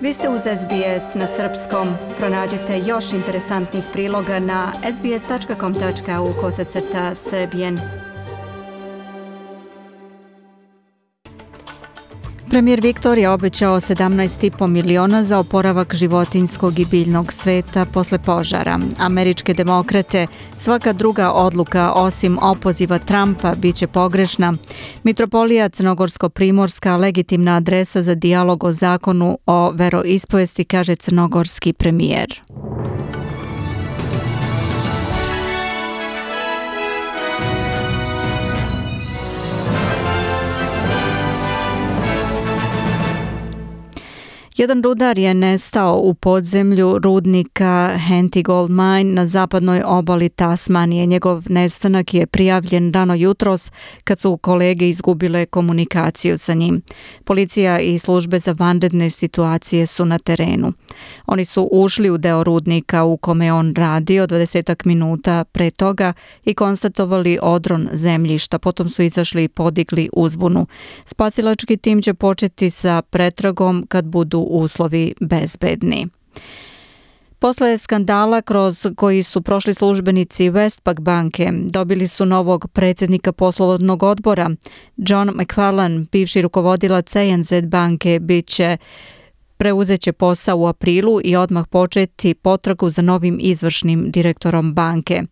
Vi ste uz SBS na srpskom. Pronađite još interesantnih priloga na sbs.com.au/srbijen. Premijer Viktorija obećao 17,5 miliona za oporavak životinjskog i biljnog sveta posle požara. Američke demokrate, svaka druga odluka osim opoziva Trumpa biće pogrešna. Mitropolija Crnogorsko-Primorska legitimna adresa za dijalog o zakonu o veroispovesti, kaže crnogorski premijer. Jedan rudar je nestao u podzemlju rudnika Henty Gold Mine na zapadnoj obali Tasmanije. Njegov nestanak je prijavljen rano jutros kad su kolege izgubile komunikaciju sa njim. Policija i službe za vanredne situacije su na terenu. Oni su ušli u deo rudnika u kome on radio 20 minuta pre toga i konstatovali odron zemljišta. Potom su izašli i podigli uzbunu. Spasilački tim će početi sa pretragom kad budu uslovi bezbedni. Posle skandala kroz koji su prošli službenici Westpac banke, dobili su novog predsjednika poslovnog odbora. John McFarlane, bivši rukovodilac ANZ banke, preuzeće posao u aprilu i odmah početi potragu za novim izvršnim direktorom banke.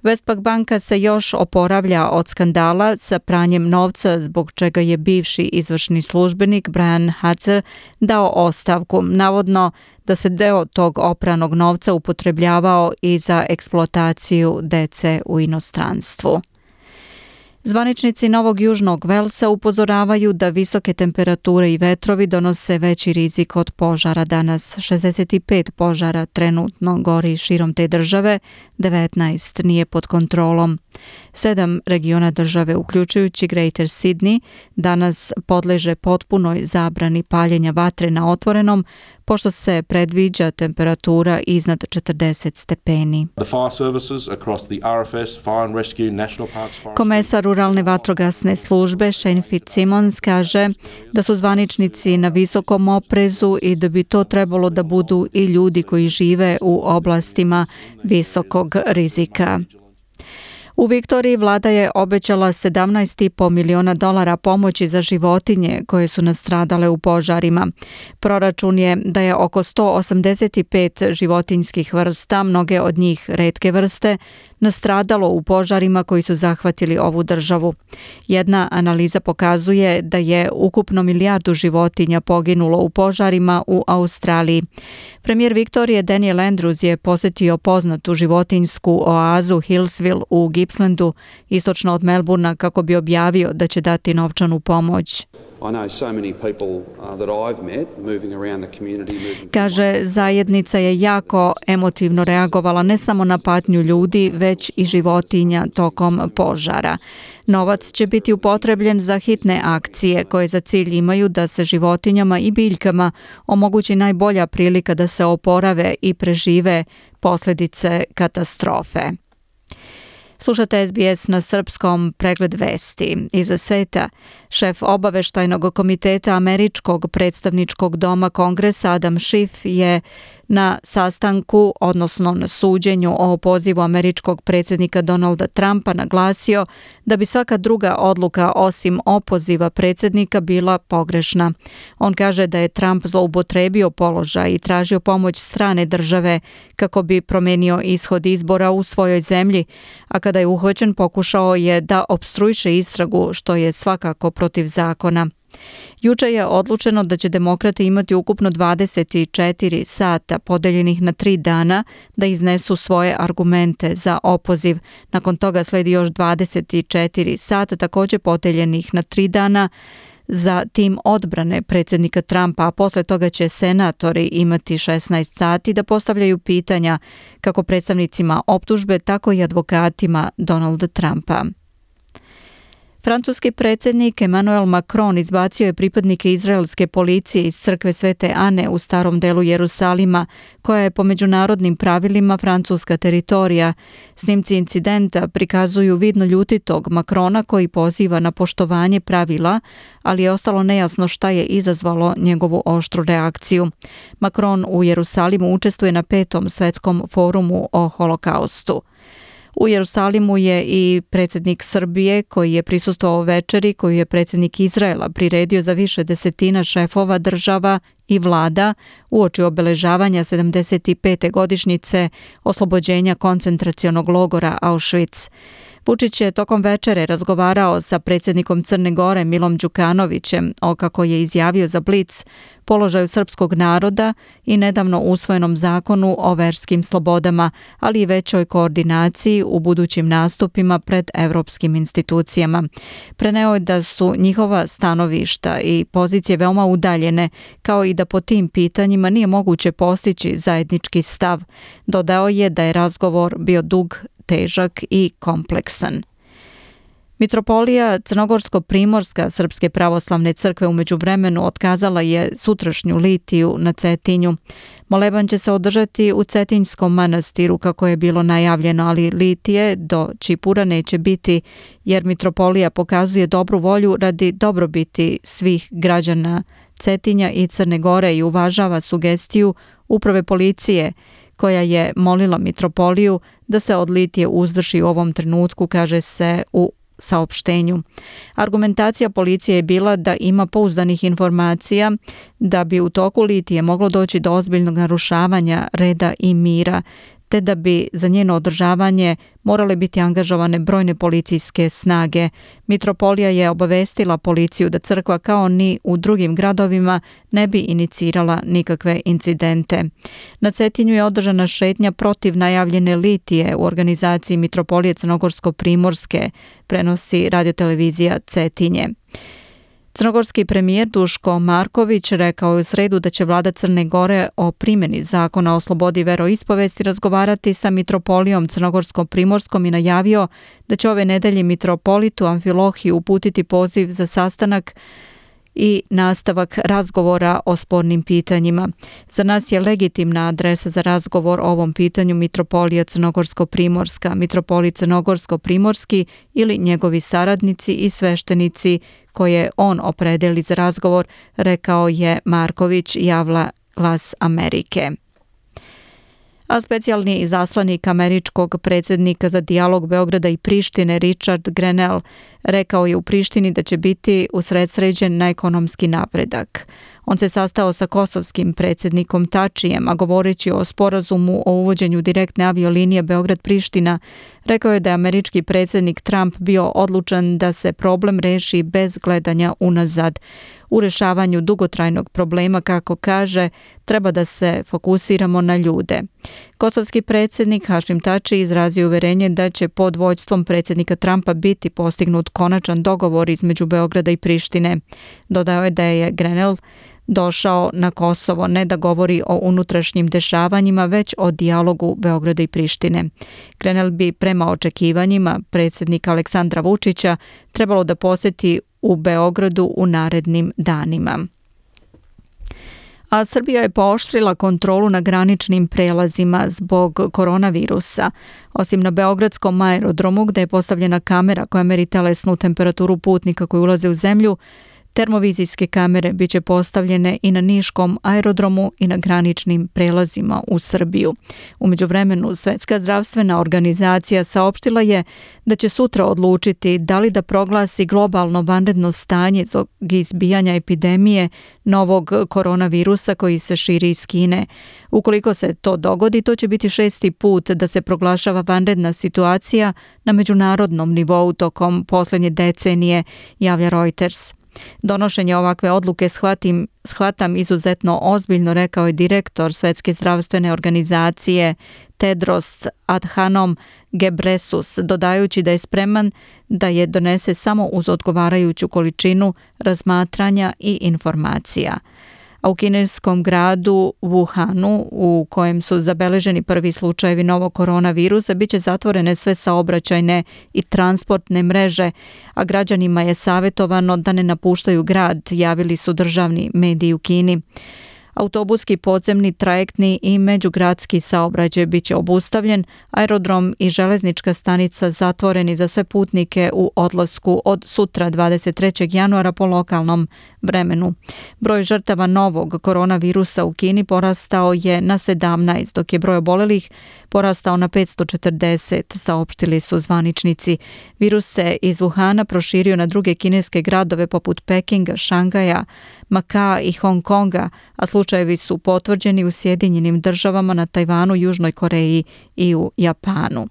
Westpac banka se još oporavlja od skandala sa pranjem novca, zbog čega je bivši izvršni službenik Brian Hatzer dao ostavku, navodno da se deo tog opranog novca upotrebljavao i za eksploataciju dece u inostranstvu. Zvaničnici Novog Južnog Velsa upozoravaju da visoke temperature i vetrovi donose veći rizik od požara danas. 65 požara trenutno gori širom te države, 19 nije pod kontrolom. 7 regiona države, uključujući Greater Sydney, danas podleže potpunoj zabrani paljenja vatre na otvorenom, pošto se predviđa temperatura iznad 40 stepeni. Komesar ruralne vatrogasne službe Shane Fitzsimmons kaže da su zvaničnici na visokom oprezu i da bi to trebalo da budu i ljudi koji žive u oblastima visokog rizika. U Viktoriji vlada je obećala 17,5 miliona dolara pomoći za životinje koje su nastradale u požarima. Proračun je da je oko 185 životinjskih vrsta, mnoge od njih retke vrste, nastradalo u požarima koji su zahvatili ovu državu. Jedna analiza pokazuje da je ukupno 1 milijardu životinja poginulo u požarima u Australiji. Premijer Viktorije Daniel Andrews je posjetio poznatu životinjsku oazu Hillsville u Gippslandu, istočno od Melbourna, kako bi objavio da će dati novčanu pomoć. Kaže, zajednica je jako emotivno reagovala ne samo na patnju ljudi, već i životinja tokom požara. Novac će biti upotrebljen za hitne akcije koje za cilj imaju da se životinjama i biljkama omogući najbolja prilika da se oporave i prežive posljedice katastrofe. Slušate SBS na srpskom, pregled vesti iz sveta. Šef obaveštajnog komiteta Američkog predstavničkog doma Kongresa Adam Schiff je na sastanku, odnosno na suđenju o pozivu američkog predsjednika Donalda Trumpa naglasio da bi svaka druga odluka osim opoziva predsjednika bila pogrešna. On kaže da je Trump zloupotrebio položaj i tražio pomoć strane države kako bi promenio ishod izbora u svojoj zemlji, a kada je uhvaćen pokušao je da opstruiše istragu, što je svakako protiv zakona. Juče je odlučeno da će demokrati imati ukupno 24 sata podeljenih na 3 dana da iznesu svoje argumente za opoziv. Nakon toga sledi još 24 sata također podeljenih na 3 dana za tim odbrane predsjednika Trumpa, a posle toga će senatori imati 16 sati da postavljaju pitanja kako predstavnicima optužbe, tako i advokatima Donalda Trumpa. Francuski predsjednik Emmanuel Macron izbacio je pripadnike izraelske policije iz crkve Svete Ane u starom delu Jerusalima, koja je po međunarodnim pravilima francuska teritorija. Snimci incidenta prikazuju vidno ljutitog Macrona koji poziva na poštovanje pravila, ali je ostalo nejasno šta je izazvalo njegovu oštru reakciju. Macron u Jerusalimu učestvuje na 5. svetskom forumu o holokaustu. U Jerusalimu je i predsjednik Srbije koji je prisustvovao večeri koju je predsjednik Izraela priredio za više desetina šefova država i vlada uoči obeležavanja 75. godišnjice oslobođenja koncentracionog logora Auschwitz. Vučić je tokom večere razgovarao sa predsjednikom Crne Gore Milom Đukanovićem o, kako je izjavio za Blic, položaju srpskog naroda i nedavno usvojenom zakonu o verskim slobodama, ali i većoj koordinaciji u budućim nastupima pred evropskim institucijama. Preneo je da su njihova stanovišta i pozicije veoma udaljene, kao i da po tim pitanjima nije moguće postići zajednički stav. Dodao je da je razgovor bio dug, težak i kompleksan. Mitropolija Crnogorsko-Primorska Srpske pravoslavne crkve u međuvremenu otkazala je sutrašnju litiju na Cetinju. Moleban će se održati u Cetinjskom manastiru kako je bilo najavljeno, ali litije do Čipura neće biti jer mitropolija pokazuje dobru volju radi dobrobiti svih građana Cetinja i Crne Gore i uvažava sugestiju uprave policije koja je molila mitropoliju da se od litije uzdrži u ovom trenutku, kaže se u saopštenju. Argumentacija policije je bila da ima pouzdanih informacija da bi u toku litije moglo doći do ozbiljnog narušavanja reda i mira, te da bi za njeno održavanje morale biti angažovane brojne policijske snage. Mitropolija je obavestila policiju da crkva kao ni u drugim gradovima ne bi inicirala nikakve incidente. Na Cetinju je održana šetnja protiv najavljene litije u organizaciji Mitropolije Crnogorsko-Primorske, prenosi radiotelevizija Cetinje. Crnogorski premijer Duško Marković rekao je u sredu da će vlada Crne Gore o primjeni zakona o slobodi veroispovesti razgovarati sa mitropolijom Crnogorsko-Primorskom i najavio da će ove nedelje mitropolitu Amfilohiju uputiti poziv za sastanak i nastavak razgovora o spornim pitanjima. Za nas je legitimna adresa za razgovor o ovom pitanju mitropolija Crnogorsko-Primorska, mitropolit Crnogorsko-Primorski ili njegovi saradnici i sveštenici koje on opredeli za razgovor, rekao je Marković, javila Glas Amerike. A specijalni izaslanik američkog predsjednika za dijalog Beograda i Prištine Richard Grenell rekao je u Prištini da će biti usredsređen na ekonomski napredak. On se sastao sa kosovskim predsjednikom Tačijem, a govoreći o sporazumu o uvođenju direktne aviolinije Beograd-Priština, rekao je da je američki predsjednik Trump bio odlučan da se problem reši bez gledanja unazad. U rešavanju dugotrajnog problema, kako kaže, treba da se fokusiramo na ljude. Kosovski predsjednik Hašim Tači izrazio uverenje da će pod vođstvom predsjednika Trumpa biti postignut konačan dogovor između Beograda i Prištine. Dodao je da je Grenell došao na Kosovo ne da govori o unutrašnjim dešavanjima, već o dijalogu Beograda i Prištine. Grenell bi prema očekivanjima predsjednika Aleksandra Vučića trebalo da posjeti u Beogradu u narednim danima. A Srbija je pooštrila kontrolu na graničnim prelazima zbog koronavirusa. Osim na beogradskom aerodromu gde je postavljena kamera koja meri telesnu temperaturu putnika koji ulaze u zemlju, termovizijske kamere biće postavljene i na niškom aerodromu i na graničnim prelazima u Srbiju. U međuvremenu, Svetska zdravstvena organizacija saopštila je da će sutra odlučiti da li da proglasi globalno vanredno stanje zbog izbijanja epidemije novog koronavirusa koji se širi iz Kine. Ukoliko se to dogodi, to će biti 6. put da se proglašava vanredna situacija na međunarodnom nivou tokom posljednje decenije, javlja Reuters. Donošenje ovakve odluke shvatam izuzetno ozbiljno, rekao je direktor Svetske zdravstvene organizacije Tedros Adhanom Ghebreyesus, dodajući da je spreman da je donese samo uz odgovarajuću količinu razmatranja i informacija. a u kineskom gradu Wuhanu, u kojem su zabeleženi prvi slučajevi novog koronavirusa, bit će zatvorene sve saobraćajne i transportne mreže, a građanima je savjetovano da ne napuštaju grad, javili su državni mediji u Kini. Autobuski, podzemni, trajektni i međugradski saobraćaj bit će obustavljen, aerodrom i železnička stanica zatvoreni za sve putnike u odlasku od sutra 23. januara po lokalnom vremenu. Broj žrtava novog koronavirusa u Kini porastao je na 17, dok je broj obolelih porastao na 540, saopštili su zvaničnici. Virus se iz Wuhana proširio na druge kineske gradove poput Pekinga, Šangaja, Makaa i Hong Konga, a slučajevi su potvrđeni u Sjedinjenim državama, na Tajvanu, Južnoj Koreji i u Japanu.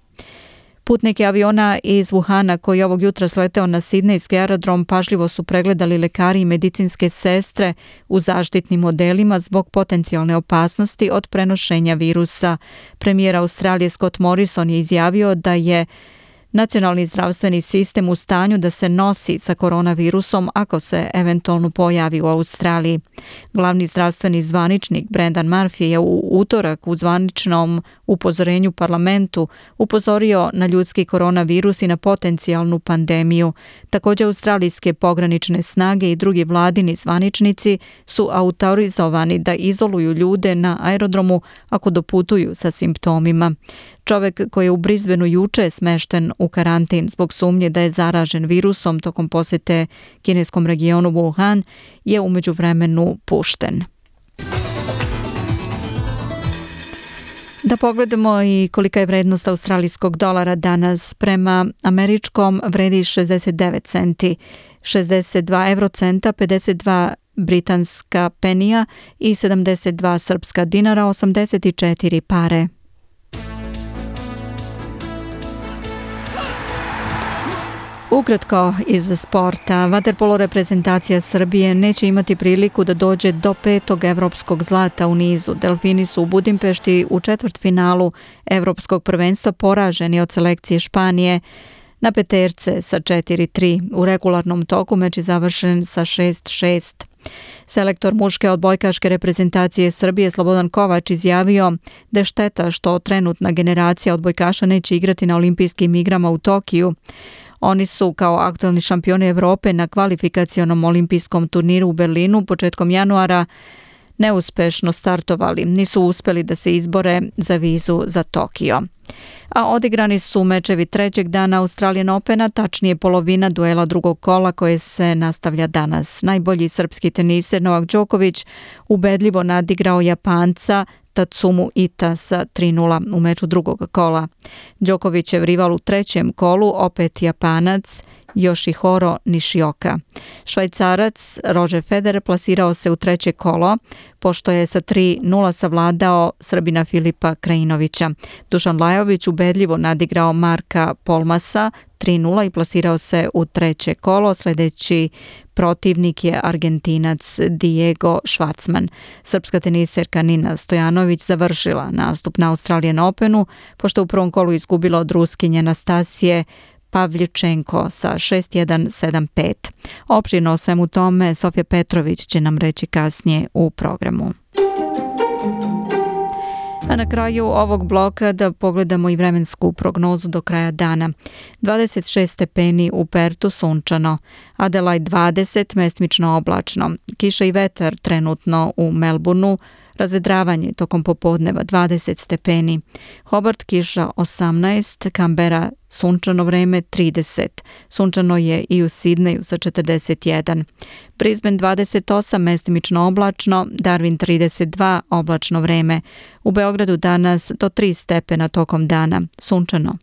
Putnike aviona iz Wuhana koji je ovog jutra sleteo na sidnejski aerodrom pažljivo su pregledali lekari i medicinske sestre u zaštitnim modelima zbog potencijalne opasnosti od prenošenja virusa. Premijer Australije Scott Morrison je izjavio da je nacionalni zdravstveni sistem u stanju da se nosi sa koronavirusom ako se eventualno pojavi u Australiji. Glavni zdravstveni zvaničnik Brendan Murphy je u utorak u zvaničnom upozorenju parlamentu upozorio na ljudski koronavirus i na potencijalnu pandemiju. Također australijske pogranične snage i drugi vladini zvaničnici su autorizovani da izoluju ljude na aerodromu ako doputuju sa simptomima. Čovjek koji je u Brisbaneu juče smešten u karantin zbog sumnje da je zaražen virusom tokom posjete kineskom regionu Wuhan je u međuvremenu pušten. Da pogledamo i kolika je vrednost australijskog dolara danas. Prema američkom vredi 69 centi, 62 eurocenta, 52 britanska penija i 72 srpska dinara, 84 pare. Ukratko iz sporta, vaterpolo reprezentacija Srbije neće imati priliku da dođe do 5. evropskog zlata u nizu. Delfini su u Budimpešti u četvrtfinalu evropskog prvenstva poraženi od selekcije Španije na peterce sa 4-3. U regularnom toku meč je završen sa 6-6. Selektor muške odbojkaške reprezentacije Srbije Slobodan Kovač izjavio da je šteta što trenutna generacija odbojkaša neće igrati na olimpijskim igrama u Tokiju. Oni su kao aktualni šampioni Evrope na kvalifikacionom olimpijskom turniru u Berlinu početkom januara neuspešno startovali. Nisu uspjeli da se izbore za vizu za Tokio. A odigrani su mečevi trećeg dana Australian Opena, tačnije polovina duela drugog kola koje se nastavlja danas. Najbolji srpski teniser Novak Đoković ubedljivo nadigrao Japanca Tatsumu Ita sa 3:0 u meču drugog kola. Đokovićev rival u trećem kolu opet Japanac Yoshihiro Nishioka. Švajcarac Roger Federer plasirao se u treće kolo pošto je sa 3:0 savladao Srbina Filipa Krajinovića. Dušan Lajović ubedljivo nadigrao Marka Polmasa 3:0 i plasirao se u treće kolo. Sljedeći protivnik je Argentinac Diego Schwartzman. Srpska teniserka Nina Stojanović završila nastup na Australian Openu pošto u prvom kolu izgubila od Ruskinje Anastasije Pavljučenko sa 6-1, 7-5. Opširno o svemu tome Sofija Petrović će nam reći kasnije u programu. A na kraju ovog bloka da pogledamo i vremensku prognozu do kraja dana. 26 stepeni u Pertu, sunčano. Adelaide 20, mestimično oblačno. Kiša i vetar trenutno u Melbourneu. Razvedravanje tokom popodneva 20 stepeni. Hobart kiša 18, Canberra sunčano vreme 30. Sunčano je i u Sidneju sa 41. Brisbane 28, mestimično oblačno, Darwin 32, oblačno vreme. U Beogradu danas do 3 stepena tokom dana, sunčano.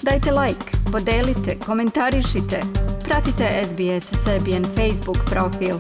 Dajte like, podelite, komentarišite, pratite SBS Serbian Facebook profil.